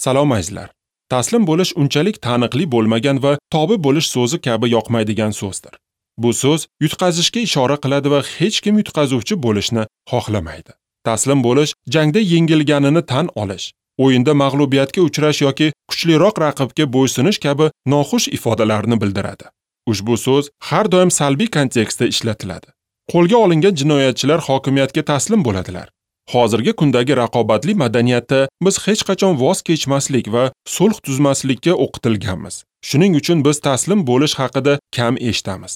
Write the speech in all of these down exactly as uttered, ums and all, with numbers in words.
Salom azizlar. Taslim bo'lish unchalik taniqli bo'lmagan va tobi bo'lish so'zi kabi yoqmaydigan so'zdir. Bu so'z yutqazishga ishora qiladi va hech kim yutqazuvchi bo'lishni xohlamaydi. Taslim bo'lish jangda yengilganini tan olish, o'yinda mag'lubiyatga uchrash yoki kuchliroq raqibga bo'ysunish kabi noxush ifodalarni bildiradi. Ushbu so'z har doim salbiy kontekstda ishlatiladi. Qo'lga olingan jinoyatchilar hokimiyatga taslim bo'ladilar. Hozirgi kundagi raqobatli madaniyatda biz hech qachon voz kechmaslik va sulh tuzmaslikka o'qitilganmiz. Shuning uchun biz taslim bo'lish haqida kam eshitamiz.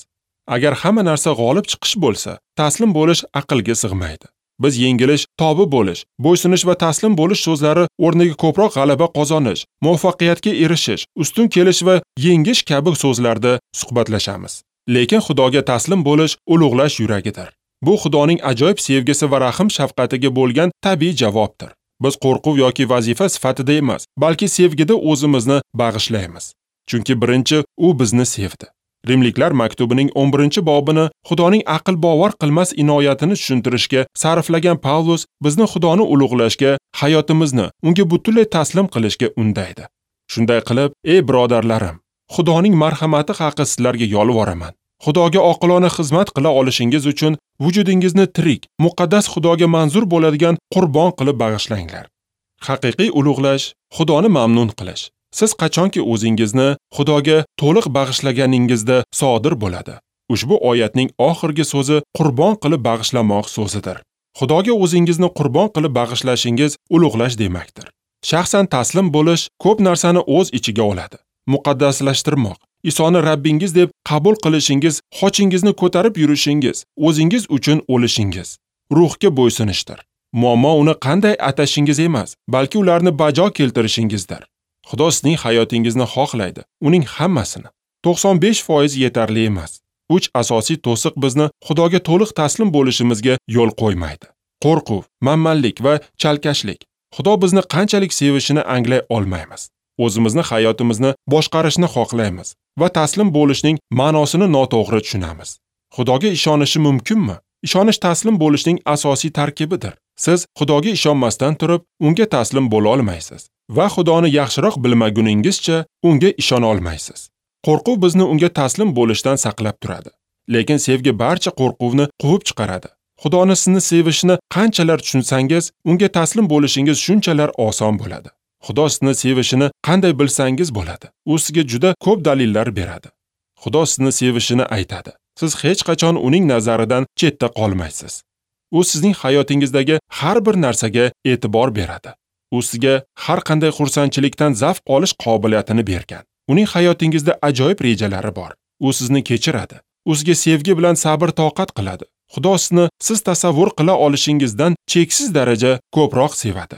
Agar hamma narsa g'olib chiqish bo'lsa, taslim bo'lish aqlga sig'maydi. Biz yengilish, tobi bo'lish, bo'ysunish va taslim bo'lish so'zlari o'rniga ko'proq g'alaba qozonish, muvaffaqiyatga erishish, ustun kelish va yengish kabi so'zlarda suhbatlashamiz. Lekin Xudoga taslim bo'lish ulug'lash yuragidir. Bu Xudoning ajoyib sevgisi va rahm shafqatiga bo'lgan tabiiy javobdir. Biz qo'rquv yoki vazifa sifatida emas, balki sevgida o'zimizni bag'ishlaymiz. Chunki birinchi u bizni sevdi. Rimliklar maktubining o'n birinchi bobini Xudoning aql bovar qilmas inoyatini tushuntirishga sarflagan Pavlus bizni Xudoni ulug'lashga, hayotimizni unga butunlay taslim qilishga undaydi. Shunday qilib, ey birodarlarim, Xudoning marhamati haqi sizlarga yolvoraman. Xudoga oqilona xizmat qila olishingiz uchun vujudingizni tirik, muqaddas Xudoga manzur bo'ladigan qurbon qilib bag'ishlanglar. Haqiqiy ulug'lash, Xudoni mamnun qilish. Siz qachonki o'zingizni Xudoga to'liq bag'ishlaganingizda sodir bo'ladi. Ushbu oyatning oxirgi so'zi qurbon qilib bag'ishlamoq so'zidir. Xudoga o'zingizni qurbon qilib bag'ishlashingiz ulug'lash demakdir. Shaxsan taslim bo'lish ko'p narsani o'z ichiga oladi. Muqaddaslashtirmoq, Isoni Rabbingiz deb qabul qilishingiz, xochingizni ko'tarib yurishingiz, o'zingiz uchun o'lishingiz, ruhga bo'ysunishdir. Muammo uni qanday atashingiz emas, balki ularni bajo keltirishingizdir. Xudo sizning hayotingizni xohlaydi, uning hammasini. to'qson besh foiz yetarli emas. Uch asosiy to'siq bizni Xudoga to'liq taslim bo'lishimizga yo'l qo'ymaydi. Qo'rquv, manmanlik va chalkashlik. Xudo bizni qanchalik sevishini anglay olmaymiz. O'zimizni hayotimizni boshqarishni xohlaymiz va taslim bo'lishning ma'nosini noto'g'ri tushunamiz. Xudoga ishonishi mumkinmi? Ishonish taslim bo'lishning asosiy tarkibidir. Siz Xudoga ishonmasdan turib, unga taslim bo'la olmaysiz va Xudoni yaxshiroq bilmaguningizcha unga ishona olmaysiz. Qo'rquv bizni unga taslim bo'lishdan saqlab turadi. Lekin sevgi barcha qo'rquvni quvib chiqaradi. Xudoni sizni sevishini qanchalar tushunsangiz, unga taslim bo'lishingiz shunchalar oson bo'ladi. Xudo sizni sevishini qanday bilsangiz bo'ladi. U sizga juda ko'p dalillar beradi. Xudo sizni sevishini aytadi. Siz hech qachon uning nazaridan chetda qolmaysiz. U sizning hayotingizdagi har bir narsaga e'tibor beradi. U sizga har qanday xursandchilikdan zavq olish qobiliyatini bergan. Uning hayotingizda ajoyib rejalari bor. U sizni kechiradi. U sizga sevgi bilan sabr toqat qiladi. Xudo sizni siz tasavvur qila olishingizdan cheksiz daraja ko'proq sevadi.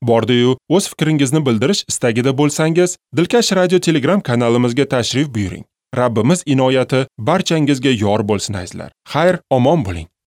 Bordi-yu, o'z fikringizni bildirish istagida bo'lsangiz, Dilkash Radio Telegram kanalimizga tashrif buyuring. Rabbimiz inoyati barchangizga yor bo'lsin azizlar. Xayr, omon bo'ling.